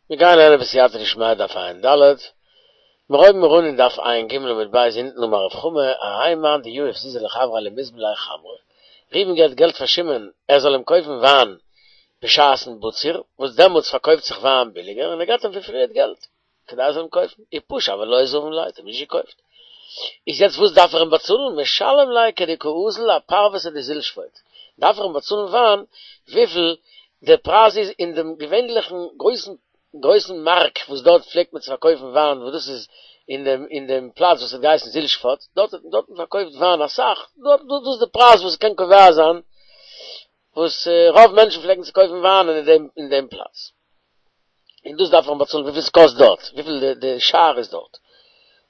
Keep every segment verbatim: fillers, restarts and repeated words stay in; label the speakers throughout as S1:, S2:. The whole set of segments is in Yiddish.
S1: מיר גייען לערנען בסייעתא דשמיא דף ע"ד, מיר הויבן מיר אן אין דף ע"ג עמוד ב' אונטן אמר רב חמא, ההאי מאן דיהיב זוזי לחבריה למיזבן ליה חמרא, ראובן געבט געלט פאר שמעון ער זאל אים קויפן וויין בשעת'ן בציר, וואס דעמאלטס פארקויפט זיך וויין ביליגער, און ער געבט אים פון פריערט געלט כדי ער זאל אים קויפן, ופשע ולא זבין ליה, האט אים נישט געקויפט. איז יעצט וואס דארף ער אים באצאלן? משלם ליה כדקא אזיל אפרוותא דזיל שפוט, דארף ער אים באצאלן וויין וויפיל דער פרייז איז אין דעם געווענליכן גרויסן גרויסן מארק וואס דארט פלעגט מען צו פארקויפן וויין וואס דאס איז אין דעם אין דעם פלאץ וואס האט געהייסן זיל שפוט, דארט האט מען דארטן פארקויפט וויין אסאך, דארט דאס איז די פרייז וואס קען קובע זיין וואס רוב מענטשן פלעגן צו קויפן וויין אין דעם אין דעם פלאץ. און דאס דארף מען באצאלן וויפיל ס'קאסט דארט, וויפיל די די שער איז דארט.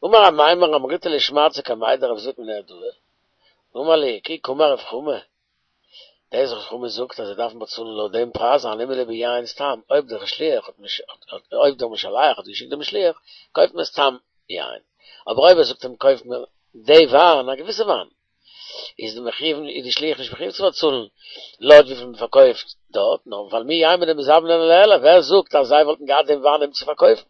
S1: אמר אמימר אמריתה לשמעתתא קמיה דרב זביד מנהרדעא, אמר לי כי קאמר רב חמא, דאס רב חמא זאגט אז זיי דארפן באצאלן לויט דעם פרייז הני מילי ביין סתם, אויב דער שליח האט אויב דער משלח האט געשיקט דעם שליח קויפט מען סתם יין, אבער אויב ער זאגט אים קויף מיר די וויין, א געוויסע וויין, איז די מחויב איז די שליח נישט מחויב צו באצאלן לויט וויפיל מען פארקויפט דארט, נאר ווייל מי יימר דמזבני ליה, ווער זאגט אז זיי וואלטן געהאט דעם וויין אים צו פארקויפן?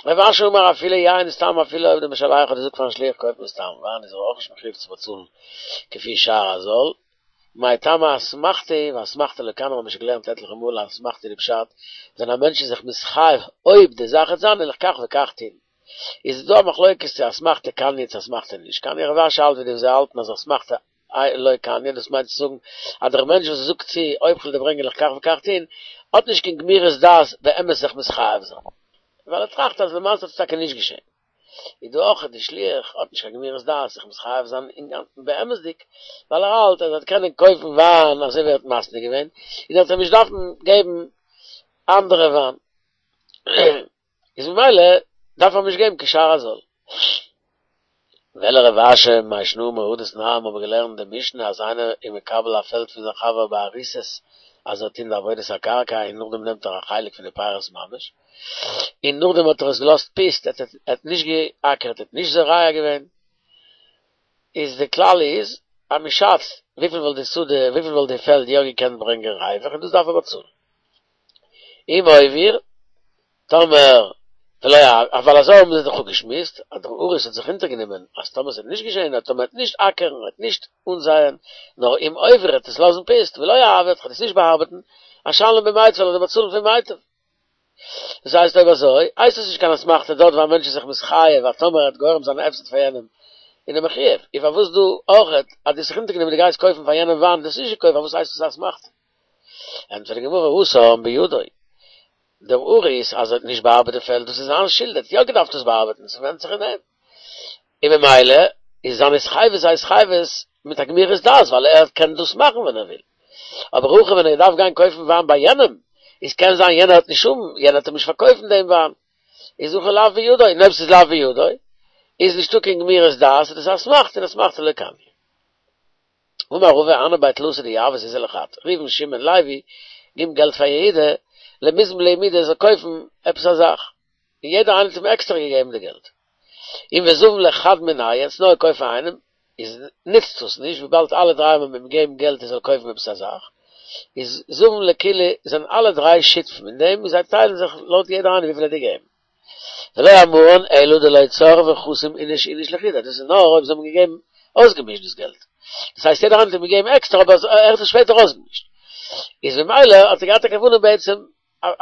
S1: רב אשי אמר אפילו יין סתם אפילו אויב דער משלח האט געזאגט פארן שליח קויף מיר סתם וויין איז ער אויך נישט מחויב צו באצאלן כפי שער הזול, מאי טעמא אסמכתא ואסמכתא לא קניא מ'האבן שוין געלערנט עטליכע מאל אז אסמכתא איז די פשט ווען א מענטש איז זיך מתחייב אויב די זאך וועט זיין וועל איך כך וכך טון איז דא א מחלוקת צו אסמכתא קניא צו אסמכתא נישט קניא רב אשי האלט ווי די וואס זיי האלטן אז אסמכתא לא קניא, דאס מיינט צו זאגן אז דער מענטש וואס זאגט צו אויב כ'וועל דיר ברענגען וועל איך כך וכך טון, האט נישט קיין גמירות דעת באמת זיך מתחייב זיין, ווייל ער טראכט אז למעשה וועט עס טאקע נישט געשען. איז דא אויך די שליח האט נישט קיין גמירות דעת זיך מתחייב זיין אינגאנצן באמת'דיג, ווייל ער האלט אז ער וועט קענען קויפן וויין אזוי ווי ער האט מתנה געווען, און ער וועט אים נישט דארפן געבן אנדערע וויין. איז ממילא דארף ער אים נישט געבן כשער הזול. ואלא רב אשי מאי שנא מהא דתנן האבן מיר געלערנט די משנה אז איינער איז מקבל א פעלד פון זיין חבר באריסות אז ער טוט די עבודת הקרקע און נאכדעם נעמט ער א חלק פון די פירות ממש און נאכדעם האט ער עס געלאזט פוסט ער האט נישט געאקערט ער האט נישט זורע געווען איז די כלל איז אז מען שאצט וויפיל וואלט די שדה וויפיל וואלט די פעלד יא געקענט ברענגען רווח און דאס דארף ער באצאלן. אם העביר, טאמער ולא ווייל אזוי האבן זיי דאך אפגעשמועסט אז דער אריס האט זיך אונטערגענומען אז טאמער ס'וועט נישט געשען אז טאמער ער וועט נישט אקערן ער וועט נישט אנזייען נאר אם העביר ער וועט עס לאזן פוסט ולא אעביר כ'וועל עס נישט באארבעטן אשלם במיטב וועל איך דיר באצאלן פון מיטב. דאס הייסט אויב אזוי הייסט עס נישט קיין אסמכתא דארט וואו א מענטש איז זיך מתחייב אז טאמער ער וועט גורם זיין א הפסד פאר יענעם איז ער מחויב איז פארוואס דא אויכעט אז דו האסט זיך אונטערגענומען דו גייסט קויפן פאר יענעם וויין דו האסט נישט געקויפט פארוואס הייסט עס א אסמכתא? ענטפערט די גמרא התם בידו, דער אריס אז ער האט נישט באארבעט די פעלד דאס איז זיין שולד ער האט יא געדארפט עס באארבעטן ס'ווענדט זיך אין אים, און ממילא איז זיין התחייבות א התחייבות מיט א גמירות דעת ווייל ער קען דאס מאכן ווען ער וויל, אבער הכא ווען ער דארף גיין קויפן וויין ביי יענעם איז קען זיין יענער וועט נישט האבן יענער וועט אים נישט פארקויפן דעם וויין איז הכא לאו בידו און אויב ס'איז לאו בידו איז נישטא קיין גמירות דעת איז דאס אסמכתא און אסמכתא לא קניא. אמר רבא הנהו בי תלתא דיהבו זוזי לחד, ראובן שמעון לוי גיבן געלט פאר יהודה למיזבן להו מידי זאל קויפן עפעס א זאך, און יעדער איינער האט אים עקסטער געגעבן די געלט, און וזבין לחד מינייהו ער האט עס נאר געקויפט פאר איינעם, איז נוצט עס נישט וויבאלד אלע דריי האבן אים געגעבן געלט ער זאל קויפן עפעס א זאך, איז זבין לכולהו זענען אלע דריי שותפים אין דעם און זיי טיילן זיך לויט יעדער איינער וויפיל ער האט געגעבן. ולא אמרן אלא דלא צורפי וחתים איניש איניש לחודיה, דאס איז נאר אויב זיי האבן געגעבן אויסגעמישט דאס געלט, דאס הייסט יעדער איינער האט אים געגעבן עקסטער אבער ער האט עס שפעטער אויסגעמישט, איז ממילא האט ער געהאט א כוונה בעצם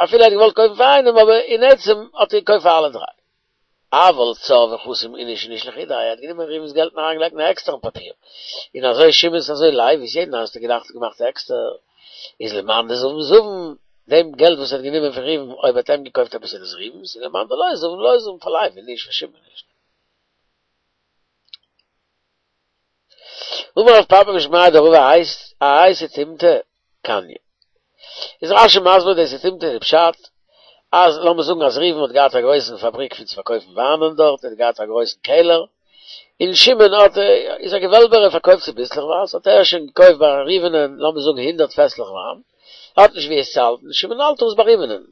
S1: אפילו ער האט געוואלט קויפן פאר איינעם אבער אין עצם האט ער געקויפט פאר אלע דריי. אבל צרפי וחתים איניש איניש לחודיה, ער האט גענומען ראובן'ס געלט און אריינגעלייגט אין א עקסטערן פאפיר, און אזוי שמעון'ס אזוי לוי'ס יעדן איינס האט ער געדאכט געמאכט עקסטער, איז למאן דזבין זבין, דעם געלט וואס ער האט גענומען פון ראובן אויב האט אים געקויפט עפעס איז דאס ראובן'ס, און למאן דלא זבין לא זבין פאר לוי נישט פאר שמעון נישט. אמר רב פפא משמיה דרבא האי סתימתא קניא. איז רשי מסביר די סתימתא די פשט אז לאמיר זאגן אז ראובן האט געהאט א גרויסן פאבריק פון צו פארקויפן וויינען דארט, ער האט געהאט א גרויסן קעלער, און שמעון האט איז א געוועלבער ער פארקויפט צוביסלעכווייז האט ער שוין געקויפט ביי ראובנ'ען לאמיר זאגן הונדערט פעסלעך וויין, ער האט נישט ווי עס צו האלטן, שמעון האלט עס ביי ראובנ'ען,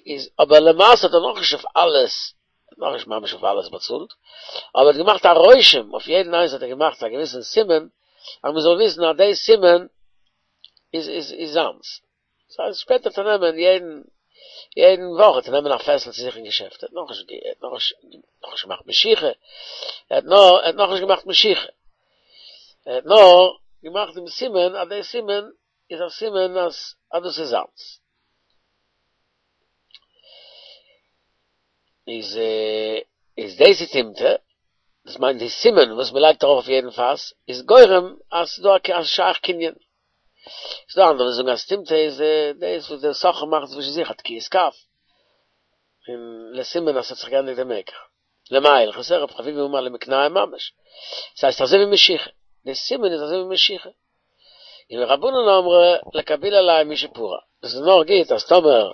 S1: איז אבער למעשה האט ער נאכנישט אויף אלעס נאכנישט ממש אויף אלעס באצאלט, אבער ער האט געמאכט א רושם, אויף יעדן איינס האט ער געמאכט א געוויסן סימן, אז מען זאל וויסן אז די סימן איז איז איז זיינס. ס'הייסט שפעטער וועט ער נעמען יעדן יעדן וואך וועט ער נעמען א פעסל צו זיך אין געשעפט, ער האט נאכנישט ער האט נאכנישט נאכנישט געמאכט משיכה, ער האט נאר ער האט נאכנישט געמאכט משיכה, ער האט נאר געמאכט דעם סימן אז דער סימן איז א סימן אז אז דאס איז זיינס. איז איז דאס איז טימטא, דאס מיינט די סימן וואס מען לייגט ארויף אויף יעדן פאס איז גורם אז ס'איז דא א שייך קנין. ס'איז דא אנדערע וואס זאגן אז טימטא איז דאס וואס דער סוחר מאכט צווישן זיך א תקיעת כף, און לסימן אז ס'האט זיך געענדיגט די מקח. למאי הלכתא רב חביבי אמר למקנהו ממש, ס'הייסט אזוי ווי משיכה, די סימן איז אזוי ווי משיכה. און ורבנן אמרי לקבולי עליה משפרע, דאס איז נאר גוט אז טאמער ער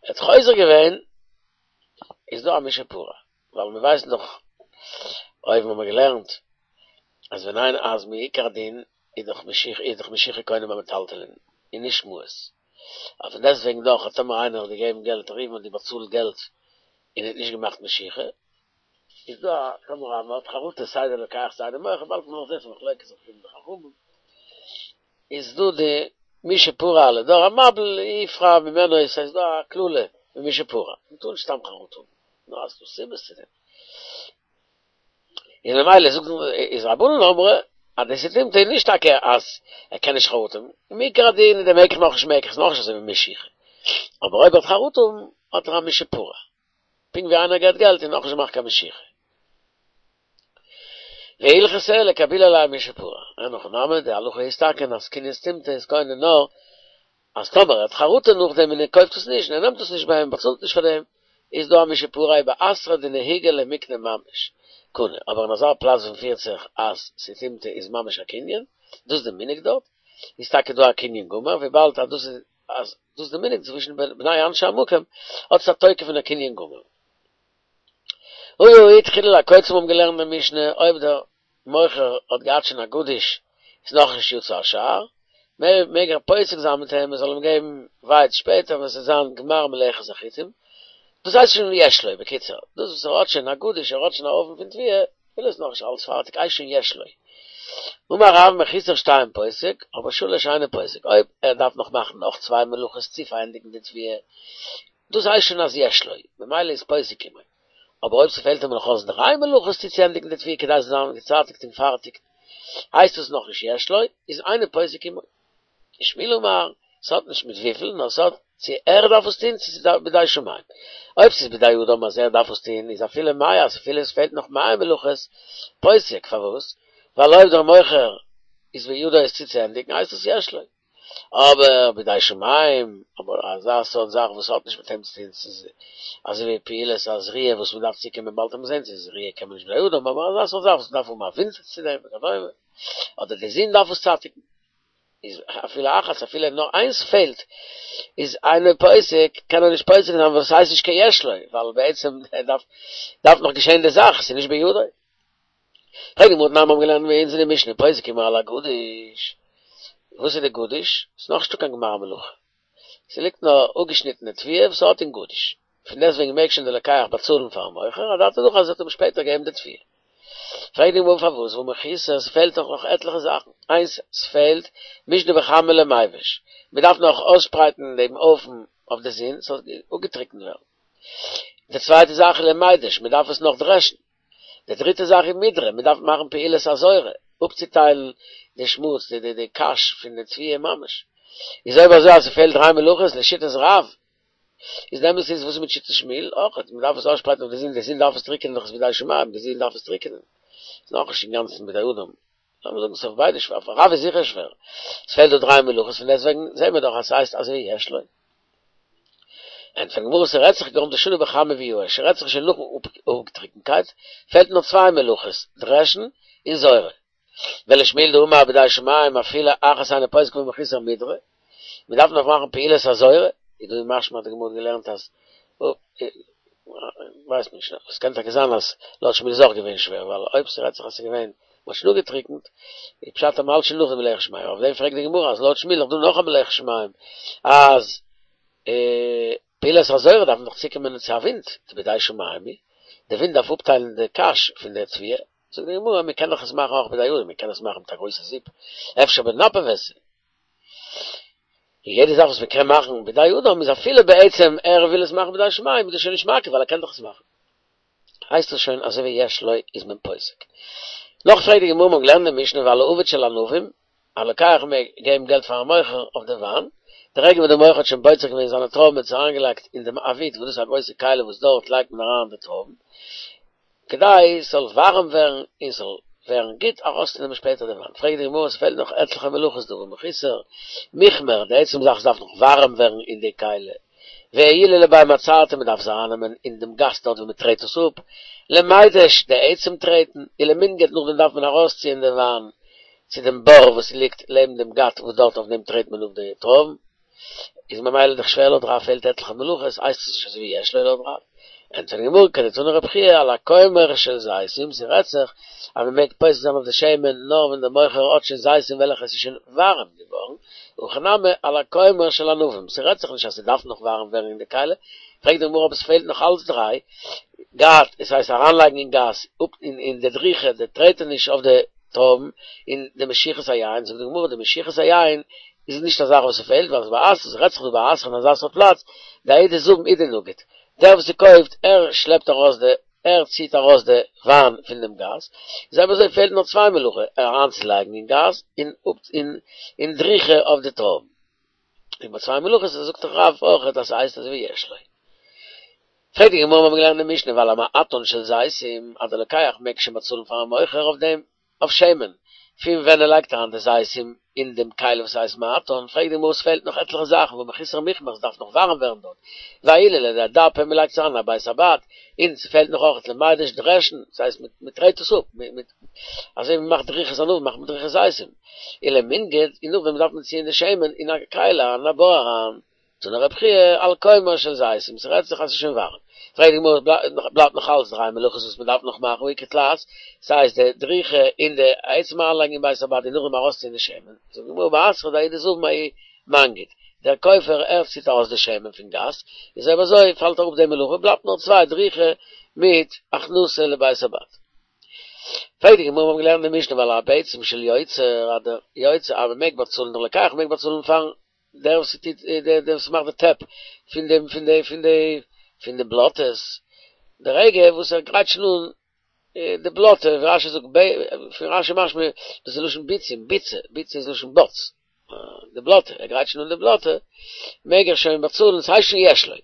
S1: האט חוזר געווען איז דא א משפרע, ווייל מיר ווייסן דאך אויבן האבן מיר געלערנט אז ווען איין אז מעיקר הדין איז דאך משיכה איז דאך משיכה קונה במטלטלין און נישט מעות, אבער פון דעסטוועגן דאך אז טאמער איינער האט געגעבן געלט ראובן האט דיר באצאלט געלט און האט נישט געמאכט משיכה, איז דא א טאמער אז מען האט חרטה סיי דער לוקח סיי דער מוכר באלד מען נאך זען ס'איז מחלוקת רבי און די חכמים איז דא די משפרע לדור המבול יפרע ממנו עס איז דא א קללה ממשפרע מען טאר נישט סתם חרטה האבן נאר אז ס'דא סיבות צו דעם און ממילא זאגט איז רבנן אמרי אז די טימטא איז נישט טאקע אז ער קען נישט חרטה האבן מעיקר הדין איז דער מקח נאכנישט מקח איז נאכנישט אזוי ווי משיכה אבער אויב ער האט חרטה האט ער א משפרע פונקט ווי איינער געט געלט און נאכנישט געמאכט קיין משיכה. והלכתא לקבולי עליה משפרע. אין הכי נמי, די הלכה איז טאקע אז קנין סטימתא איז קונה נאר אז טאמער ער האט חרטה נאכדעם און ער קויפט עס נישט און ער נעמט עס נישט ביי אים באצאלט נישט פאר דעם איז דא א משפרע באתרא דנהיגי למקנה ממש קנה אבער אין אזא פלאץ וואס מ'פירט זיך אז סטימתא איז ממש א קנין דאס איז די מנהג דארט איז טאקע דא א קנין גמור וויבאלד אז דאס איז אז דאס איז די מנהג צווישן בני אנשי המקום, האט עס א תוקף פון א קנין גמור. הא התחילה להקוצים האבן געלערנט די משנה, אויב דער מוכר האט געהאט שוין א גדיש איז נאכנישט יצא השער, מעג ער פוסק זיין מיט אים ער זאל אים געבן ווייץ שפעטער ווען ס'וועט זיין גמר מלאכת החיטים, דאס הייסט שוין יש לו, בקיצור, דאס וואס ער האט שוין א גדיש, ער האט שוין א הויפן פון תבואה, אפילו איז נאכנישט אלץ פארטיג הייסט שוין יש לו. אמר רב מחוסר שתיים פוסק, אבער שלש אינו פוסק, אויב ער דארף נאך מאכן נאך צוויי מלאכות צו פארענדיגן די תבואה, דאס הייסט שוין אז יש לו, ממילא איז פוסק עמו. אבער אויב ס'פעלט אים נאך אויס דריי מלאכות צו צוענדיגן די תבואה כדי ס'זאל זיין געצייטיגט און פארטיג, הייסט עס נאכנישט יש לו, איז אינו פוסק עמו. ושמואל אמר, ס'האט נישט מיט וויפיל, נאר ס'האט צו ער דארף עס טון צו ס'איז בידי שמים. אויב ס'איז בידי אדם אז ער דארף עס טון, איז אפילו מאה, אז אפילו עס פעלט נאך מאה מלאכות, פוסק, פארוואס? ווייל אויב דער מוכר איז בידו עס צוצוענדיגן, הייסט עס יש לו. אבער בידי שמים, אבער אזא סארט זאך וואס האט נישט מיט אים צו טון, ס'איז אזוי ווי פעולת הזריעה וואס מ'דארף צוקומען באלד וועט מען זען צו זריעה קען מען נישט בידי אדם, אבער אזא סארט זאך וואס מ'דארף האבן א ווינט צו דעם וכדומה, אדער די זון דארף עס צייטיגן. איז אפילו אחת אפילו נאר איינס פעלט איז אינו פוסק קען ער נישט פוסק זיין ווייל ס'הייסט נישט קיין יש לו ווייל בעצם דארף דארף נאך געשען די זאך ס'איז נישט בידו. פרעגט די גמרא תנן מיר האבן געלערנט ביי אונז אין די משנה פוסק עמו על הגדיש וואס איז די גדיש? ס'איז נאך נישטא קיין גמר מלאכה ס'ליגט נאר אפגעשניטענע תבואה וואס ס'האט אין גדיש פון דעסטוועגן מעג שוין די לוקח באצאלן פארן מוכר אדעתא דהכי אז ער האט אים שפעטער געגעבן די תבואה. פרעגט די גמרא פארוואס והא מחוסר ס'פעלט דאך נאך עטליכע זאכן, איינס ס'פעלט מישני בחמה למיבש, מ'דארף נאך אויסשפרייטן דעם הויפן אויף די זון ס'זאל אפגעטריקנט ווערן, די צווייטע זאך איז למידש, מ'דארף עס נאך דרעשן, די דריטע זאך איז מידרא, מ'דארף מאכן פעולת הזורה, אפצוטיילן די שמוץ, די די קש פון די תבואה ממש, איז אויב אזוי אז ס'פעלט דריי מלאכות לשיטת רב, איז די אמת איז וואס איז מיט שיטת שמואל אויך מען דארף עס אויסשפרייטן אויף די זון די זון דארף עס טריקענען דאך איז בידי שמים די זון דארף עס טריקענען איז נאכנישט אינגאנצן בידי אדם לאמיר זאגן ס'איז אויף ביידע שווער אויף רב איז זיכער שווער עס פעלט דא דריי מלאכות פון דעסטוועגן זעהן מיר דאך אז ס'הייסט אזוי ווי יש לו ענטפערט די גמרא ס'רעדט זיך כגון דשני בחמה וייאש ס'רעדט זיך שוין נאכן אפגעטריקנקייט פעלט נאר צוויי מלאכות דרעשן און זורה ולשמואל דאמר בידי שמים אפילו אחת אינו פוסק והא מחוסר מידרא, מען דארף נאך מאכן פעולת הזורה, איז דא משמע אז די גמרא האט געלערנט אז ווייסט נישט, עס קען טאקע זיין אז לויט שמואל איז אויך געווען שווער, ווייל אויב ס'רעדט זיך אז ס'איז געווען מ'האט שוין אפגעטריקנט, איז פשט אז מ'האלט שוין נאך די מלאכת שמים, אויף דעם פרעגט די גמרא אז לויט שמואל איז דא נאך א מלאכת שמים אז פעולת הזורה דארף מען דאך צוקומען צו א ווינט, דבידי שמים היא, די ווינט דארף אפטיילן די קש פון די תבואה, זאגט די גמרא, מען קען דאך עס מאכן אויך בידי אדם, מען קען עס מאכן מיט א גרויסע זיפ, אפשר בנפוותא. יעדע זאך וואס מען קען מאכן בידי אדם איז אפילו בעצם ער וויל עס מאכן בידי שמים, איז דאס שוין נישט מעכב ווייל ער קען דאך עס מאכן. הייסט עס שוין אזוי ווי יש לו איז מען פוסק. נאך פרעגט די גמרא מ'האט געלערנט אין משנה ועל האבד של ענבים, א לוקח מעג געבן געלט פארן מוכר אויף די וויין, די רגע וואס די מוכר האט שוין בוצר געווען זיינע טרויבן און עס אריינגעלייגט אין דעם עביד וואס דאס איז א גרויסע כלי וואס דארט לייגט מען אריין די טרויבן כדי ס'זאל ווארעם ווערן און ס'זאל ווערן גוט ארויסצונעמען שפעטער די וויין. פרעגט די גמרא ס'פעלט נאך עטליכע מלאכות דא והא מחוסר מכמר, די עצם זאך ס'דארף נאך ווארעם ווערן אין די כלי, ועיולי לבי מעצרתא מ'דארף עס ארייננעמען אין דעם גת דארט ווי מ'טרעט עס אפ, למידש די עצם טרעטן, ולמנגד נאכדעם דארף מען ארויסציען די וויין צו דעם בור וואס ליגט לעבן דעם גת וואס דארט אויף דעם טרעט מען אפ די טרויבן, איז ממילא דאך שווער לויט רב פעלט עטליכע מלאכות, הייסט עס נישט אזוי ווי יש לו לויט רב. ענטפערט די גמרא, כדתני רבי חייא על הכומר של זיתים, ס'רעדט זיך אז מ'מעג פוסק זיין אויף די שמן נאר ווען דער מוכר האט שוין זיתים וועלכע עס איז שוין ווארעם געווארן, הכא נמי על הכומר של ענבים, ס'רעדט זיך נישט אז ס'דארף נאך ווארעם ווערן אין די כלי, פרעגט די גמרא אבער ס'פעלט נאך אלץ דריי, גת, עס הייסט אריינלייגן אין גת, אפ אין די דריכה, די טרעטעניש אויף די טרויבן, און די משיכת היין, זאגט די גמרא די משיכת היין איז נישט א זאך וואס ס'פעלט, ווייל באתרא, ס'רעדט זיך דא באתרא אין אזא סארט פלאץ, דההוא דזבין הוא דנגיד, דער וואס ס'קויפט ער שלעפט ארויס די, ער ציט ארויס די וויין פון דעם גת, איז אויב אזוי פעלט נאר צוויי מלאכה, אריינצולייגן אין גת, און און דריכה אויף די טרויבן. און ביי צוויי מלאכות זאגט דאך רב אויך אז ס'הייסט אזוי ווי יש לו. פרעגט די גמרא מיר האבן געלערנט אין משנה ועל המעטן של זיתים אז דער לוקח מעג שוין באצאלן פארן מוכר אויף דעם אויף שמן פון ווען ער לייגט אריין די זיתים אין דעם כלי וואס הייסט מעטן, פרעגט די גמרא עס פעלט נאך עטליכע זאכן והא מחוסר מכמר ס'דארף נאך ווארעם ווערן דארט ועיולי לידי דפא מ'לייגט עס אריין אין א בית הבד און ס'פעלט נאך אויך למידש דרעשן ס'הייסט מ'טרעט עס אפ מיט אזוי ווי מ'מאכט דריכת ענבים מאכט מען דריכת זיתים ולמנגד און נאכדעם דארף מען ציען די שמן אין א כלי אריין אין א בור אריין. תני רבי חייא על כומר של זיתים, ס'רעדט זיך אז ס'איז שוין ווארעם. פרעגט די גמרא, בלייבט נאך אלץ דריי מלאכות וואס מ'דארף נאך מאכן, והא איכא תלת, ס'הייסט די דריכה און די עצם אריינלייגן אין בית הבד און נאכדעם ארויסציען די שמן, זאגט די גמרא באתרא דההוא דזבין ההוא מנגיד, דער קויפער ער ציט ארויס די שמן פון גת, איז אויב אזוי פאלט אראפ די מלאכה, בלייבט נאר צוויי דריכה מיט הכנסה לבית הבד. פרעגט די גמרא, מיר האבן געלערנט אין די משנה ועל הביצים של יוצר, אז דער יוצר אז מ'מעג באצאלן, דער לוקח מעג באצאלן פארן דער וואס טוט דער וואס מאכט די טעפ פון דעם פון די פון די פון די בלאטעס, די רגע וואס ער גרייט שוין אן די בלאטע, ווי רשי זאגט פון רשי משמע דאס איז לשון ביצים, ביצה, ביצה איז לשון בוץ, די בלאטע, ער גרייט שוין אן די בלאטע, מעג ער שוין באצאלן, ס'הייסט שוין יש לו.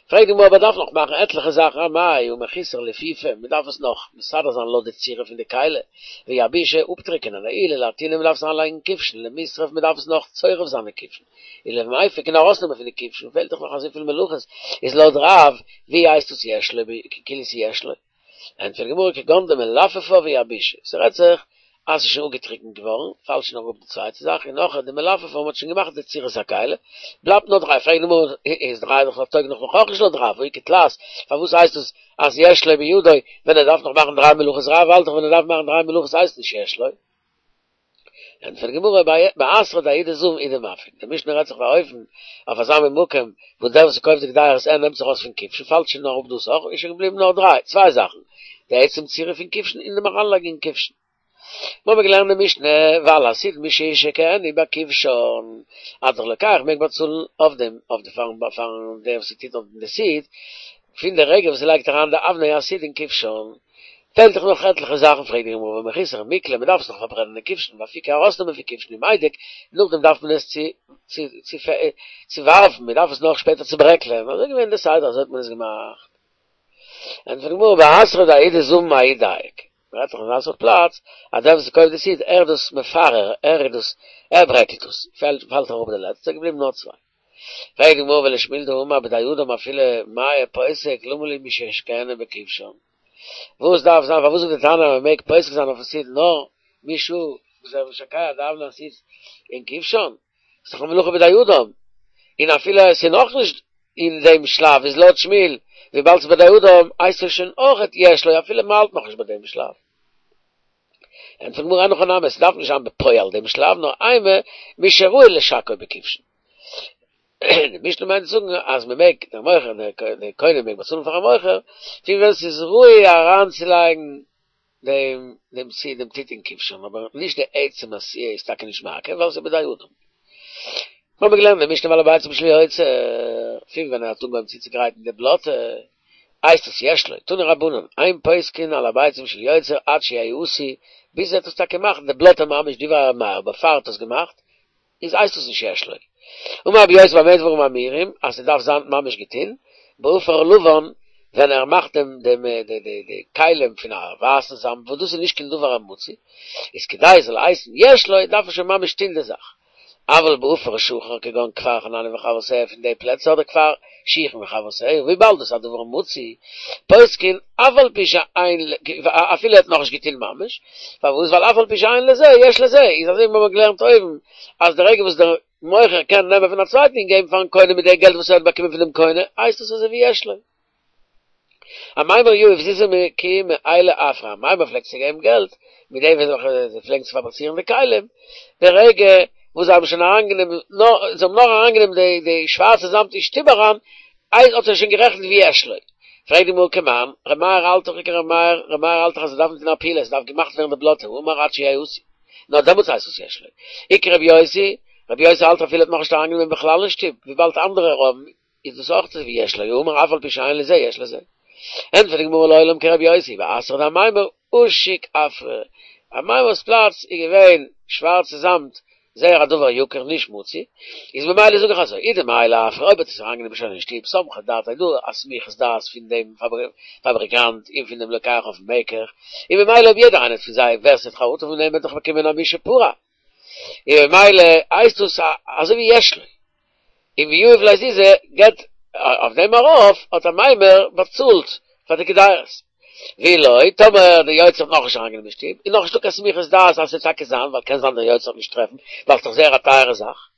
S1: פרעגט די גמרא אבער דארף נאך מאכן עטליכע זאכן אמאי הא מחוסר ליפופא, מען דארף עס נאך מסדר זיין לויט די צורה פון די כלי, ויבישא אפטריקענען, עיולי לאטוני מען דארף עס אריינלייגן אין כבשן, למישרף מען דארף עס נאך צורף זיין אין כבשן, ולמיפק און ארויסנעמען פון די כבשן, פעלט דאך נאך אזויפיל מלאכות, איז לויט רב ווי הייסט עס יש לו כאילו ס'יש לו? ענטפערט די גמרא כגון דמלפפא ויבישא, ס'רעדט זיך אז ס'איז שוין אפגעטריקנט געווארן, פאלט שוין אראפ די צווייטע זאך, און נאכער די מלפפא מ'האט שוין געמאכט די צורת הכלי, בלייבט נאר דריי, פרעגט די גמרא איז דריי דאך טויג נאך נאך אויך נישט לויט רב, והא איכא תלת, פארוואס הייסט עס אז יש לו בידו ווען ער דארף נאך מאכן דריי מלאכות, רב האלט דאך ווען ער דארף מאכן דריי מלאכות הייסט נישט יש לו. ענטפערט די גמרא, באתרא דההוא דזבין הוא דמפיק, די משנה רעדט זיך אויף אן אופן, אויף אזא מין מקום, וואס דער וואס קויפט די קדירות ער נעמט זיך ארויס פון כבשן, פאלט שוין אראפ דאס אויך, איז שוין געבליבן נאר דריי, צוויי זאכן, די עצם צורה פון כבשן און דעם אריינלייגן אין כבשן. מיר האבן געלערנט די משנה, ועל הסיד משישקענו בכבשן, אז דער לוקח מעג באצאלן אויף דעם, אויף די פארן פארן דער וואס טוט אויף די סיד, פון די רגע וואס ער לייגט אריין די אבני הסיד אין כבשן, פעלט דאך נאך עטליכע זאכן, פרעגט די גמרא והא מחוסר מיקלע, מען דארף עס נאך פארברענען אין כבשן, ואפוקי ארויסנעמען פון כבשן ומידק, נאכדעם דארף מען עס צו צו צו צו ווארפן, מען דארף עס נאך שפעטער צוברעקלען, אזוי געווען די סדר, אזוי האט מען עס געמאכט. ענטפערט די גמרא באתרא דההוא דזבין ההוא דייק, מען רעדט דאך אין אזא סארט פלאץ, אז דער וואס קויפט די סיד, ער איז דאס מפרר, ער איז דאס, ער ברעקלט עס, פאלט אראפ די לעצטע, געבליבן נאר צוויי. פרעגט די גמרא ולשמואל דאמר בידי אדם אפילו מאה פוסק למה לי משישקענו בכבשן? וואס דארף זיין פארוואס זאגט די תנא אז מען מעג פוסק זיין אויפן סיד נאר משעה וואס ער איז משקע די אבני הסיד אין כבשן? ס'איז דאך א מלאכה בידי אדם, און אפילו עס איז נאכנישט אין דעם שלב איז לויט שמואל וויבאלד ס'איז בידי אדם הייסט עס שוין אויכעט יש לו אפילו מ'האלט נאכנישט ביי דעם שלב. ענטפערט די גמרא אין הכי נמי עס דארף נישט זיין בפועל דעם שלב נאר אימא משראוי לשקעו בכבשן. די משנה מיינט צו זאגן אז מען מעג, דער מוכר, דער קונה מעג באצאלן פארן מוכר, פון ווען ס'איז ראוי אריינצולייגן דעם דעם סיד דעם טיט אין כבשן, אבער נישט די עצם עשייה איז טאקע נישט מעכב ווייל ס'איז בידי אדם. מיר האבן געלערנט אין משנה ועל הביצים של יוצר, פון ווען ער האט אנגעהויבן צוצוגרייטן די בלאטע, הייסט עס יש לו, תנו רבנן, אין פוסקין על הביצים של יוצר עד שיעשו, ביז ער האט עס טאקע געמאכט, די בלאטע ממש דברי ר' מאיר, בעפאר ער האט עס געמאכט, איז הייסט עס נישט יש לו. אמר רבי יוסי במה דברים אמורים, אז ס'דארף זיין ממש געטון, בעפר לבן, ווען ער מאכט דעם דעם די די די כלים פון א ווייסן זאמד וואס דאס איז נישט קיין דבר המצוי, איז כדי עס זאל הייסן יש לו דארף ער שוין ממש טון די זאך. אבל בעפר שחור כגון כפר חנניה וחברותיה פון די פלעצער אדער כפר שיחין וחברותיה וויבאלד דאס איז א דבר מצוי פוסקין אף על פי שאין אפילו ער האט נאכנישט געטון ממש, פארוואס ווייל אף על פי שאין לזה יש לזה איז אזוי ווי מיר האבן געלערנט אויבן אז די רגע וואס דער מוכר קען נעמען פון א צווייטן און געבן פארן קונה מיט די געלט וואס ער האט באקומען פון דעם קונה הייסט עס אזוי ווי יש לו. אמימר יהיב זוזי כי מעיילי עפרא, אמימר פלעגט צו געבן געלט מיט די וועלכע זיי פלעגן צו פאבריצירן די כלים, די רגע וואס זיי האבן שוין אריינגענומען נאר זיי האבן נאר אריינגענומען די די שווארצע זאמד אין שטוב אריין, איז האט ער שוין גערעכנט ווי יש לו. פרעגט די גמרא כמאן, ר' מאיר האלט דאך ווי ר' מאיר, ר' מאיר האלט דאך אז עס דארף נישט זיין א פעולה, עס דארף געמאכט ווערן די בלאטע, האמר עד שיעשו, נאר דעמאלטס הייסט עס יש לו. אי כרבי יוסי, רבי יוסי האלט אפילו האט נאכנישט אריינגענומען בכלל אין שטוב, וויבאלד אנדערע האבן, איז דאס אויך אזוי ווי יש לו, האמר אף על פי שאין לזה יש לזה. ענטפערט די גמרא לעולם כרבי יוסי, באתרא דאמימר עשיק עפרא, אמימר'ס פלאץ איז געווען שווארצע זאמד, זייער א דבר יקר נישט מצוי, איז ממילא זאג איך אזוי, אי דמעיילי עפרא אויב האט עס אריינגענומען שוין אין שטוב, סמכא דעתיה דא א סמיכות דעת פון דעם פאבריקאנט און פון דעם לוקח אויפן מקח, און ממילא אויב יעדער איינער פון זיי ווער ס'האט חרטה פון דעם וועט דאך באקומען א מי שפרע, און ממילא הייסט דאס אזוי ווי יש לו. און ויהיב ליה זוזי געבט אויף דעם ארויף האט אמימר באצאלט פאר די קדירות. ואי לא, טאמער די יוצר האט נאכנישט אריינגענומען אין שטוב, איז נאכנישטא קיין סמיכות דעת אז ס'וועט טאקע זיין, ווייל קען זיין דער יוצר וועט נישט טרעפן, ווייל ס'דאך זייער א טייערע זאך.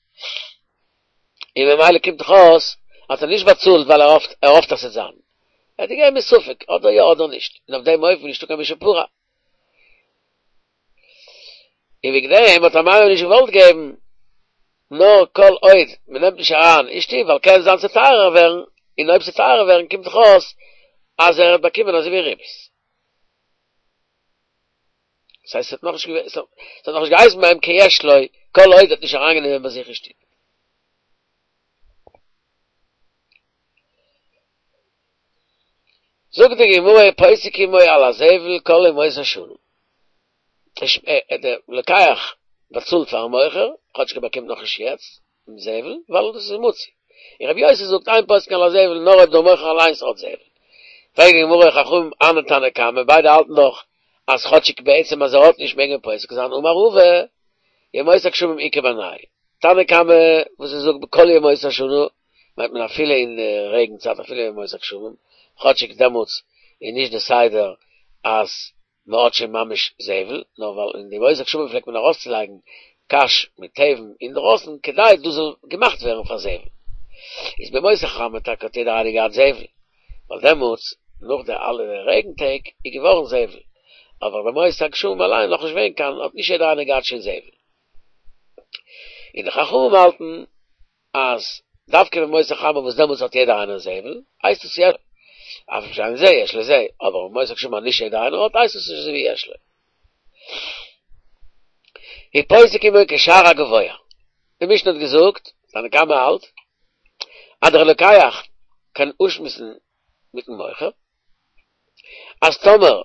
S1: און ממילא קומט דאך אויס האט ער נישט באצאלט ווייל ער האפט ער האפט אז ס'וועט זיין. ער האט געגעבן מספק, אדער יא אדער נישט, און אויף דעם אופן איז נישטא קיין מי שפרע. און וועגן דעם האט אמימר נישט געוואלט געבן נאר כל עוד מען נעמט נישט אריין אין שטוב ווייל קען זיין ס'וועט טייערער ווערן, און אויב ס'וועט טייערער ווערן קומט דאך אויס אז ער האט באקומען אזוי ווי ריבית. דאס הייסט ס'האט נאכנישט געווען ס'האט נאכנישט געהייסן ביי אים כיש לו כל עוד ער האט נישט אריינגענומען ביי זיך אין שטוב. זאגט די גמרא פוסק עמו על הזבל כל ימות השנה. דער לוקח באצאלט פארן מוכר, כאטש ער באקומט נאכנישט יעצט דעם זבל, ווייל דאס איז מצוי. און רבי יוסי זאגט אין פוסקין על הזבל נאר אויב דער מוכר אליינס האט זבל. פרעגט די גמרא חכמים אהני תנא קמא, ביידע האלטן דאך אז כאטשיג בעצם אז ער האט נישט מעג מען פוסק זיין אמר רבא, ימות הגשמים איכא בינייהו. תנא קמא וואס ער זאגט בכל ימות השנה מיינט מען אפילו אין די רעגן צייט אפילו ימות הגשמים, כאטשיג דעמאלטס איז נישט די סדר אז מען האט שוין ממש זבל, נאר ווייל אין די ימות הגשמים פלעגט מען ארויסצולייגן קש מיט תבן אינדרויסן כדי דאס זאל געמאכט ווערן פאר זבל. איז בימות החמה טאקע האט יעדער איינער געהאט זבל, ווייל דעמאלטס נאך די אלע רעגן טעג איז געווארן זבל, אבער בימות הגשמים אליין נאכנישט געווען קיין האט נישט יעדער איינער געהאט שוין זבל. און די חכמים האלטן אז דווקא בימות החמה וואס דעמאלטס האט יעדער איינער זבל, הייסט עס יש אף על פי שאין לזה יש לזה, אבער בימות הגשמים אז נישט יעדער איינער האט הייסט עס נישט אזוי ווי יש לו. ופוסק עמו כשער הגבוה. די משנה האט געזאגט, תנא קמא האלט, אז דער לוקח קען אפשמועסן מיטן מוכר, אז טאמער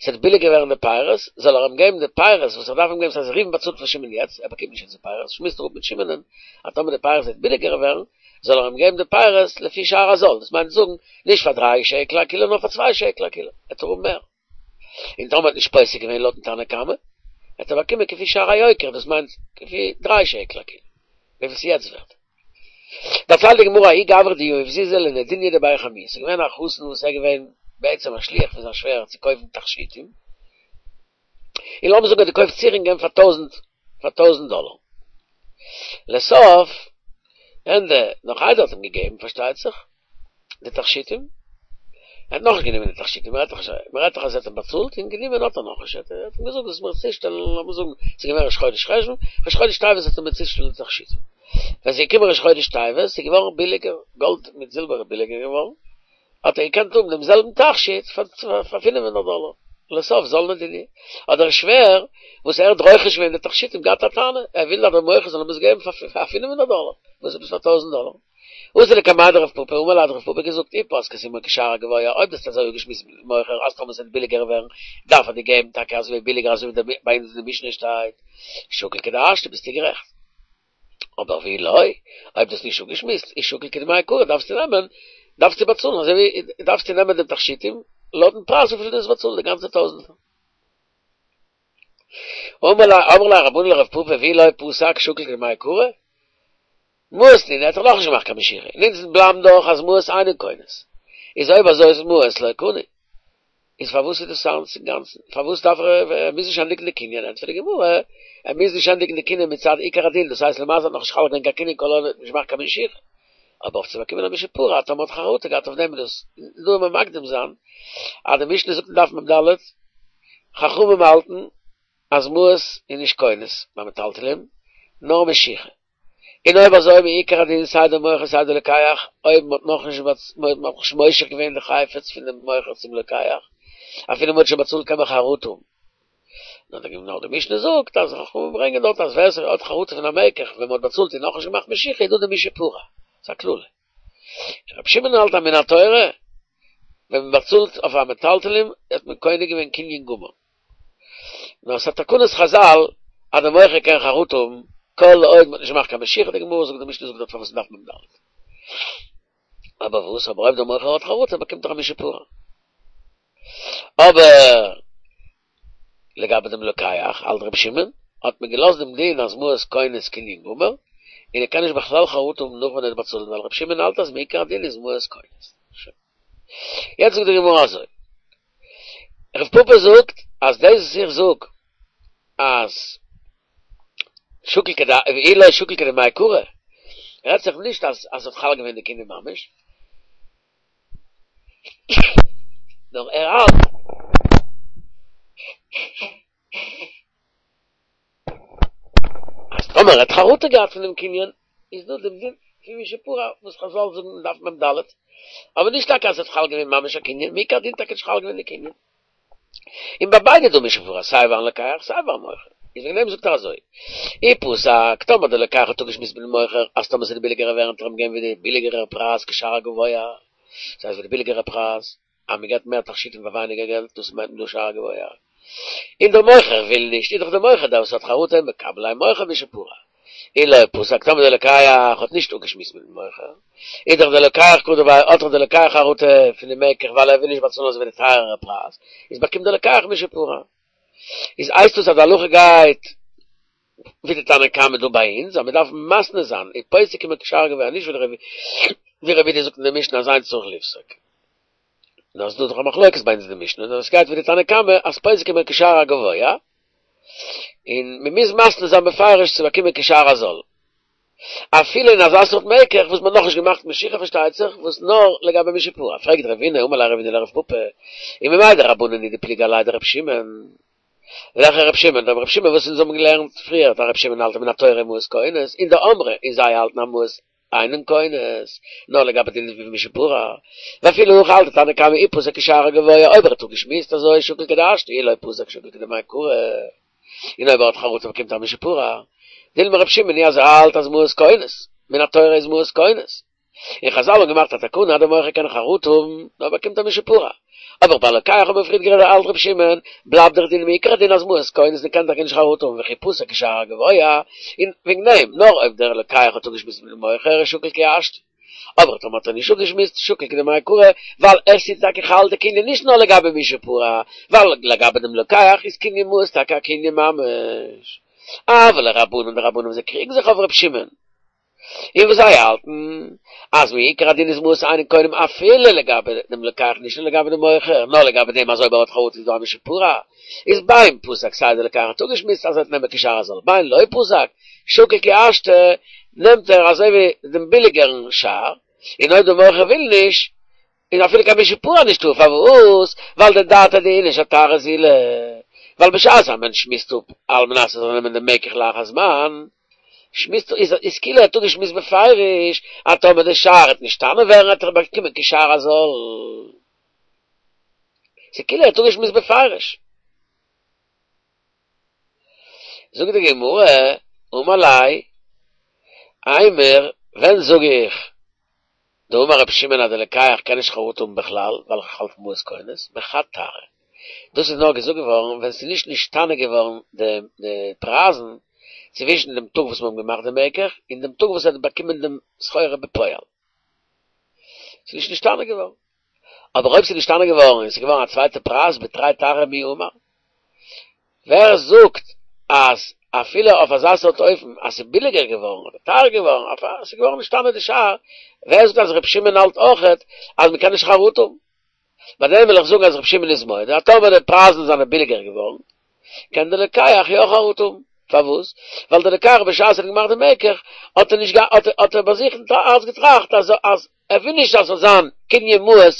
S1: ס'וועט ביליגער ווערן די פירות, זאל ער אים געבן די פירות וואס ער דארף אים געבן, ס'הייסט ראובן באצאלט פאר שמעון יעצט, ער באקומט נישט יעצט די פירות, שמועסט ער אפ מיט שמעונ'ען אז טאמער די פירות וועט ביליגער ווערן, זאל ער אים געבן די פירות לפי שער הזול, דאס מיינט זאגן, נישט פאר דריי שקל א קילא נאר פאר צוויי שקל א קילא, וועט ער האבן מער. און טאמער האט נישט פוסק געווען לויטן תנא קמא, וועט ער באקומען כפי שער היוקר, דאס מיינט כפי דריי שקל א קילא, וויפיל ס'איז יעצט ווערט. דערציילט די גמרא ההוא גברא דיהיב זוזי לנדוניא דבי חמוה, ס'איז געווען א חתן וואס איז געווען בעצם א שליח פון זיין שווער צו קויפן תכשיטים, און לאמיר זאגן ער האט געקויפט צירונגען פאר טויזנט פאר טויזנט דאלער, לסוף ענדע נאך איידער ער האט אים געגעבן פארשטייט זיך, די תכשיטים, ער האט נאכנישט גענומען די תכשיטים, מען רעדט דאך אז ער האט אים באצאלט און גענומען האט ער נאכנישט, ער האט אים געזאגט זאלסט מיר צושטעלן, לאמיר זאגן ס'איז געווען ראש חודש חשוון, ראש חודש טבת האט ער מיר צושטעלן די תכשיטים, ווען ס'איז געקומען ראש חודש טבת איז געווארן ביליגער, גאלד מיט זילבער איז ביליגער געווארן, האט ער געקענט האבן דעם זעלבן תכשיט פאר פינף הונדערט דאלער, לסוף זלנא דיניה. האט דער שווער, וואס ער האט רוכש געווען די תכשיטים, געהאט א טענה, ער וויל אז דער מוכר זאל אים עס געבן פאר פינף הונדערט דאלער, וואס עפעס פאר טויזנט דאלער. אתא לקמיה דרב פפא, אמר ליה האט רב פפא געזאגט, אי פסקת עמו כשער הגבוה, אויב דו האסט אזוי אפגעשמועסט מיטן מוכר אז טאמער ס'וועט ביליגער ווערן, דארף ער דיר געבן טאקע אזוי ביליגער אזוי ווי ביי אונז אין די משנה שטייט, שקיל כדהשתא ביסטו גערעכט. אבער ואי לא, אויב דו האסט נישט אפגעשמועסט, איז שקיל כדמעיקרא דארפסטו נעמען, דארפסטו באצאלן אזוי ווי, דארפסטו נעמען דעם תכשיטים לויטן פרייז וויפיל דו האסט באצאלט די גאנצע טויזנטער. אמרי ליה רבנן לרב פפא ואי לא פסק שקיל כדמעיקרא, מעות נינהו האט ער נאכנישט געמאכט קיין משיכה, און אונז בלייבן דאך אז מעות אינן קונות, איז אויב אזוי איז מעות לא קני, איז פארוואס איז דאס אלץ אינגאנצן, פארוואס דארף ער, ער מוז נישט ענדיגן די קנין, ענטפערט די גמרא, ער מוז נישט ענדיגן די קנין מצד עיקר הדין, דאס הייסט למעשה האט נאכנישט חל געווען קיין קנין כל עוד ער האט נישט געמאכט קיין משיכה, אבער אויף צו באקומען א מי שפרע טאמער האט חרטה געהאט אויף דעם איז דאס, דא וועל מען מקדים זיין אז די משנה זאגט אין דף מ ד, חכמים האלטן אז מעות איז נישט קונות ביי מטלטלין, נאר משיכה. און אויב אזוי מעיקר הדין סיי די מוכר סיי די לוקח, אויב מ'האט נאכנישט מ'האט נאכנישט מושך געווען די חפץ פון דעם מוכר צום לוקח, אפילו מ'האט שוין באצאלט קען מען חרטה האבן. נאר די נאר די משנה זאגט אז חכמים ברענגען דארט אז ווער ס'האט חרטה פון א מקח ווען מ'האט באצאלט און נאכנישט געמאכט משיכה איז דא די מי שפרע. ס'איז א קללה. רבי שמעון האלט אז מן התורה ווען מ'באצאלט אויף א מטלטלין האט מען קונה געווען קנין גמור. נאר ס'א תקנת חזל אז די מוכר קען חרטה האבן כל עוד מ'האט נישט געמאכט קיין משיכה, די גמרא זאגט די משנה זאגט דארט פארוואס דף מ ד. אבער וואס אבער אויב די מוכר האט חרטה באקומט ער א מי שפרע. אבער לגבי דעם לוקח, האלט רבי שמעון, האט מען געלאזט דעם דין אז מעות קונות קנין גמור, און ער קען נישט בכלל חרטה האבן נאך ווען ער האט באצאלט ווייל רבי שמעון האלט אז מעיקר הדין איז מעות קונות. שוין. יעצט זאגט די גמרא אזוי. רב פפא זאגט אז דאס וואס איך זאג אז שקיל כד ואי לא שקיל כדמעיקרא רעדט זיך נישט אז אז ס'האט חל געווען די קנין ממש, נאר ער האלט אז טאמער ער האט חרטה געהאט פון דעם קנין איז דא דעם דין פון מי שפרע וואס חזל זאגן אין דף מ ד, אבער נישט טאקע אז עס האט חל געווען ממש א קנין, מעיקר הדין טאקע נישט חל געווען די קנין. און ביי ביידע דא מי שפרע סיי ביים לוקח סיי ביים מוכר, איז וועגן דעם זאגט ער אזוי, אי פסק, טאמער דער לוקח האט אפגעשמועסט מיטן מוכר אז טאמער ס'וועט ביליגערער ווערן וועט ער אים געבן ווי די ביליגערער פרייז כשער הגבוה, דאס הייסט ווי די ביליגערע פרייז, אז מען געבט מער תכשיטים פאר ווייניגער געלט, דאס מיינט מען דא שער הגבוה. און דער מוכר וויל נישט, איז דאך דער מוכר דער וואס האט חרטה, מקבל עליה מוכר מי שפרע. אי לא פסק, טאמער דער לוקח האט נישט אפגעשמועסט מיטן מוכר, איז דאך דער לוקח קא דערביי, האט דאך דער לוקח חרטה פון די מקח ווייל ער וויל נישט באצאלן אזוי ווי די טייערערע פרייז, איז באקומט דער לוקח מי שפרע. איז הייסט דאס אז די הלכה גייט ווי די תנא קמא דא ביי אונז, אז מען דארף מתנה זיין, און פוסק עמו כשער הגבוה, נישט ווי רבי יהודה זאגט אין די משנה אז אין צריך לפסוק. נאר ס'איז דא דאך א מחלוקת ביי אונז אין די משנה, נאר עס גייט ווי די תנא קמא אז פוסק עמו כשער הגבוה, און מען מוז מתנה זיין בפירוש צו באקומען כשער הזול. אפילו אין אזא סארט מקח וואס מען האט נאכנישט געמאכט משיכה פארשטייט זיך, וואס נאר לגבי מי שפרע. פרעגט רבינא, אמר ליה רבינא לרב פפא, וממאי דרבנן הוא דפליגי עליה דרבי שמעון? וועלכע רבי שמעון? דער רבי שמעון וואס אונז האבן געלערנט פריער, דער רבי שמעון האלט מן התורה מעות קונות, און דאמרי, און זיי האלטן אז מעות אינן קונות, נאר לגבי דין פון מי שפרע, ואפילו הכי האלט די תנא קמא אי פסק כשער הגבוה, אויב ער האט אפגעשמועסט אזוי שקיל כדהשתא אי לא פסק שקיל כדמעיקרא, און אויב ער האט חרטה באקומט ער מי שפרע, דילמא רבי שמעון היא אז ער האלט אז מעות קונות, מן התורה איז מעות קונות. און חזל האבן געמאכט א תקנה אז דער מוכר קען חרטה האבן, נאר באקומט א מי שפרע. אבער ביי לוקח האבן מיר פריער גערעדט האלט רבי שמעון, בלייבט דער דין מעיקר הדין אז מעות קונות און קען טאקע נישט חרטה האבן וכי פסק כשער הגבוה, און וועגן דעם, נאר אויב דער לוקח האט אפגעשמועסט מיטן מוכר שקיל כי השתא. אבער טאמער האט ער נישט אפגעשמועסט שקיל כדמעיקרא, ווייל עס איז טאקע חל די קנין נישט נאר לגבי מי שפרע, ווייל לגבי דעם לוקח איז קנין מעות טאקע א קנין ממש. אבל לרבנן די רבנן וואס זיי קריגן זיך אויף רבי שמעון, און וואס זיי האלטן אז מעיקר הדין איז מעות אינן קונים אפילו לגבי דעם לוקח נישט נאר לגבי דעם מוכר נאר לגבי דעם אז אויב ער האט חרטה איז דא א מי שפרע איז בין פסק סיי דער לוקח האט אפגעשמועסט אז ער וועט נעמען כשער הזול בין לא פסק שקיל כי השתא נעמט ער אזוי ווי דעם ביליגערן שער און אויב דער מוכר וויל נישט איז אפילו קיין מי שפרע נישטא, פארוואס? ווייל דדעתיה דאיניש אתרא זילא, ווייל בשעת א מענטש שמועסט אפ על מנת ער זאל נעמען דעם מקח לאחר זמן, שמועסט איז איז כאילו ער האט אפגעשמועסט בפירוש אז טאמער די שער וועט נשתנה ווערן וועט ער באקומען כשער הזול. ס'איז כאילו ער האט אפגעשמועסט בפירוש. זאגט די גמרא, אמר ליה, אימר, ווען זאג איך דאמר רבי שמעון אז די לוקח קען נישט חרטה האבן בכלל, ווייל איך האלט מעות קונות, בחד תרעא. דאס איז נאר געזאגט געווארן ווען ס'איז נישט נשתנה געווארן די די פרייזן צווישן דעם טאג וואס מ'האט געמאכט די מקח און דעם טאג וואס ער האט באקומען דעם סחורה בפועל. ס'איז נישט נשתנה געווארן. אבער אויב ס'איז נשתנה געווארן און ס'איז געווארן א צווייטע פרייז בתרי תרעי מי אמר. ווער זאגט אז אפילו אויף אזא סארט אופן אז ס'איז ביליגער געווארן אדער טייער געווארן, אויף א ס'איז געווארן נשתנה די שער, ווער זאגט אז ר' שמעון האלט אויכעט אז מ'קען נישט חרטה האבן? ביי דעם וויל איך זאגן אז ר' שמעון איז מודה אז טאמער די פרייזן זענען ביליגער געווארן, קען די לוקח יא חרטה האבן. פארוואס? ווייל די לוקח בשעת ער האט געמאכט די מקח האט ער נישט האט ער ביי זיך אין הארץ געטראכט אז אז ער וויל נישט אז ס'זאל זיין קנין מעות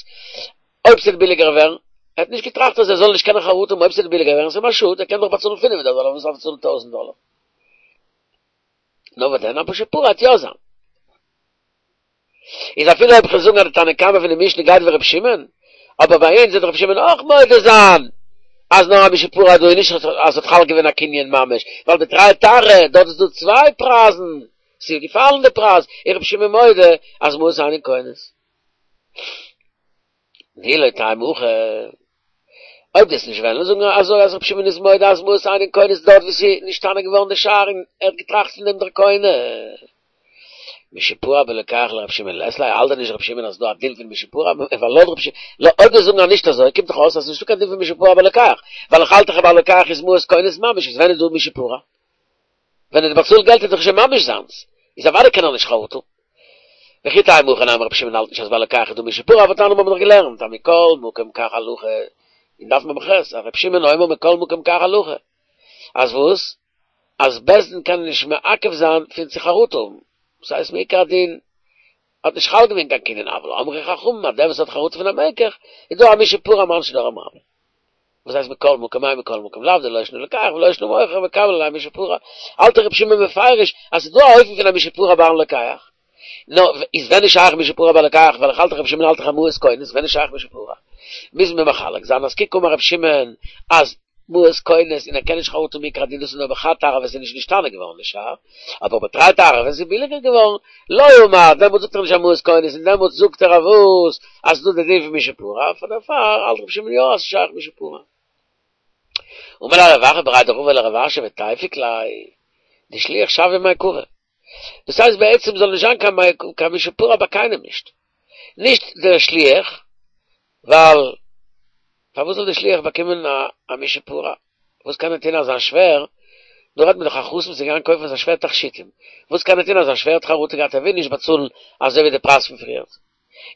S1: אויב ס'וועט ביליגער ווערן, ער האט נישט געטראכט אז ער זאל נישט קענען חרטה האבן אויב ס'וועט ביליגער ווערן, ס'איז אים א שאד, ער קען דאך באצאלן פינף הונדערט דאלער, פארוואס דארף ער צאלן טויזנט דאלער? נאר וואס דען, א משפרע וועט יא זיין. איז אפילו אויב כ'וועל זאגן אז די תנא קמא פון די משנה גייט ווי ר' שמעון, אבער ביי אונז וועט ר' שמעון אויך מודה זיין אז נאר א משפרע דא און נישט אז ס'האט חל געווען א קנין ממש, ווייל בתרי תרעי דארט איז דא צוויי פרייזן, ס'איז געפאלן די פרייז, איז ר' שמעון מודה אז מעות אינן קונות. ואי לא תימא הכי, אויב דו וועסט נישט וועלן זאגן אזוי אז רבי שמעון איז מודה אז מעות אינן קונות דארט וואו ס'איז נשתנה געווארן די שער און ער האט געטראכט פון דעם דער קונה. משפרע בלוקח לרבי שמעון לית ליה, האלט דען נישט רבי שמעון אז ס'דא א דין פון משפרע ווייל לויט רבי שמעון, אויב דו זאגן אז נישט אזוי קומט דאך אויס אז ס'נישטא קיין דין פון משפרע בלוקח, ווייל איך האלט דאך אז ביי לוקח איז מעות קונות ממש איז ווען איז דא משפרע? ווען ער האט באצאלט געלט איז דאך שוין ממש זיינס, איז אוודאי קען ער נישט חרטה האבן. וכי תימא הכי נמי רבי שמעון האלט נישט אז ביי לוקח איז דא משפרע והתניא האבן מיר דאך געלערנט אז מכל מקום כך הלכה אין דף מ"ח אז רבי שמעון אומר מכל מקום כך הלכה אז וואס? אז בית דין קען נישט מעכב זיין פון צו חרטה האבן, דאס הייסט מעיקר הדין האט נישט חל געווען קיין קנין אבל אמרו חכמים אז דער וואס האט חרטה פון א מקח איז דא א משפרע מאן שנא רבי וואס הייסט מכל מקום מאי מכל מקום לאו דלא שנא לוקח ולא שנא מוכר מקבל עליה משפרע האלט רבי שמעון מפרש אז ס'איז דא א אופן פון א משפרע ביים לוקח נו איז ווען איז שייך משפרע ביי לוקח ווייל איך האלט דאך רבי שמעון האלט דאך אז מעות קונות ווען איז שייך משפרע מוז מען מחלק זיין אז כי קאמר רבי שמעון אז מעות קונות און ער קען נישט חרטה מעיקר הדין דאס איז נאר בחד תרעא ווען ס'איז נישט נשתנה געווארן די שער אבער בתרי תרעי ווען ס'איז ביליגער געווארן לא אמר דעמאלט זאגט ער נישט אז מעות קונות און דעמאלט זאגט ער אז וואס אז ס'איז דא די דין פון משפרע פאר דערפאר האלט רבי שמעון יא אז ס'איז שייך משפרע. אמר ליה רב אחא בריה דרבא לרב אשי ותיפוק ליה דשליח שוויה מעכבא דאס הייסט בעצם זאל נישט זיין קיין משפרע ביי קיינעם נישט נישט דער שליח ווייל פארוואס זאל דער שליח באקומען א משפרע? וואס קען ער טון אז זיין שווער, דא רעדט מען דאך א חתן וואס איז געגאנגען קויפן פאר זיין שווער תכשיטים, וואס קען ער טון אז זיין שווער האט חרטה געהאט ער וויל נישט באצאלן אזוי ווי די פרייז פון פריערט?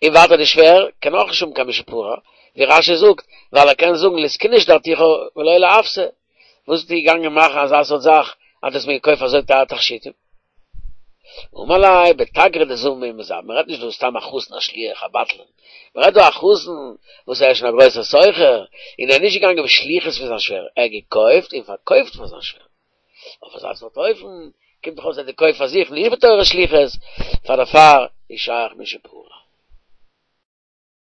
S1: און ווייטער די שווער קען אויך נישט האבן קיין משפרע, ווי רש"י זאגט, ווייל ער קען זאגן לזקוני שדרתיך ולא לאפסא, וואס ביסטו געגאנגען מאכן אזא סארט זאך אז דו האסט מיר געקויפט אזוי טייער תכשיטים? אמר ליה בתגרא דזבין ומזבין, מען רעדט נישט דא סתם א חתן א שליח א בטלן, מען רעדט דא א חתן וואס ער איז שוין א גרויסער סוחר, און ער איז נישט געגאנגען בשליחות פון זיין שווער, ער האט געקויפט און פארקויפט פאר זיין שווער. אויף אזא סארט אופן קומט דאך אויס אז ער האט געקויפט פאר זיך נישט בתורת שליחות, פאר דערפאר איז שייך משפרע.